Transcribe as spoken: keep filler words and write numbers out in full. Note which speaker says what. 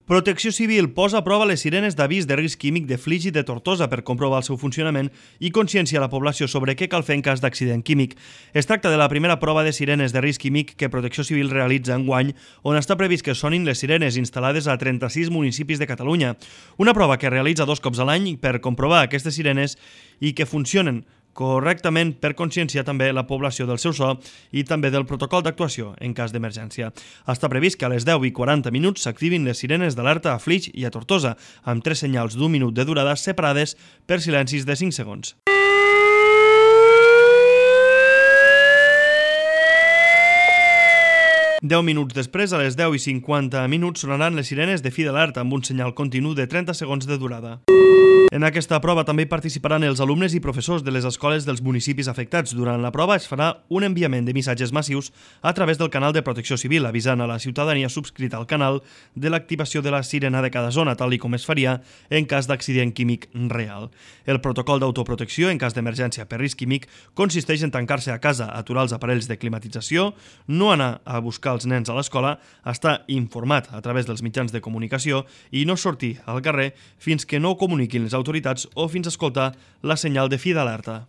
Speaker 1: Protecció Civil posa a prova les sirenes d'avís de risc químic de Flix i de Tortosa per comprovar el seu funcionament i conscienciar la població sobre què cal fer en cas d'accident químic. Es tracta de la primera prova de sirenes de risc químic que Protecció Civil realitza enguany, on està previst que sonin les sirenes instal·lades a trenta-sis municipis de Catalunya. Una prova que realitza dos cops a l'any per comprovar aquestes sirenes i que funcionen correctament per conscienciar també la població del seu so i també del protocol d'actuació en cas d'emergència. Està previst que a les deu i quaranta minuts s'activin les sirenes d'alerta a Flix i a Tortosa, amb tres senyals d'un minut de durada separades per silencis de cinc segons. deu minuts després, a les deu i cinquanta minuts, sonaran les sirenes de fi d'alerta amb un senyal continu de trenta segons de durada. En aquesta prova també hi participaran els alumnes i professors de les escoles dels municipis afectats. Durant la prova es farà un enviament de missatges massius a través del canal de Protecció Civil, avisant a la ciutadania subscrita al canal de l'activació de la sirena de cada zona, tal com es faria en cas d'accident químic real. El protocol d'autoprotecció en cas d'emergència per risc químic consisteix en tancar-se a casa, aturar els aparells de climatització, no anar a buscar els nens a l'escola, estar informat a través dels mitjans de comunicació i no sortir al carrer fins que no ho comuniquin les autoritats o fins a escoltar la senyal de fi d'alerta.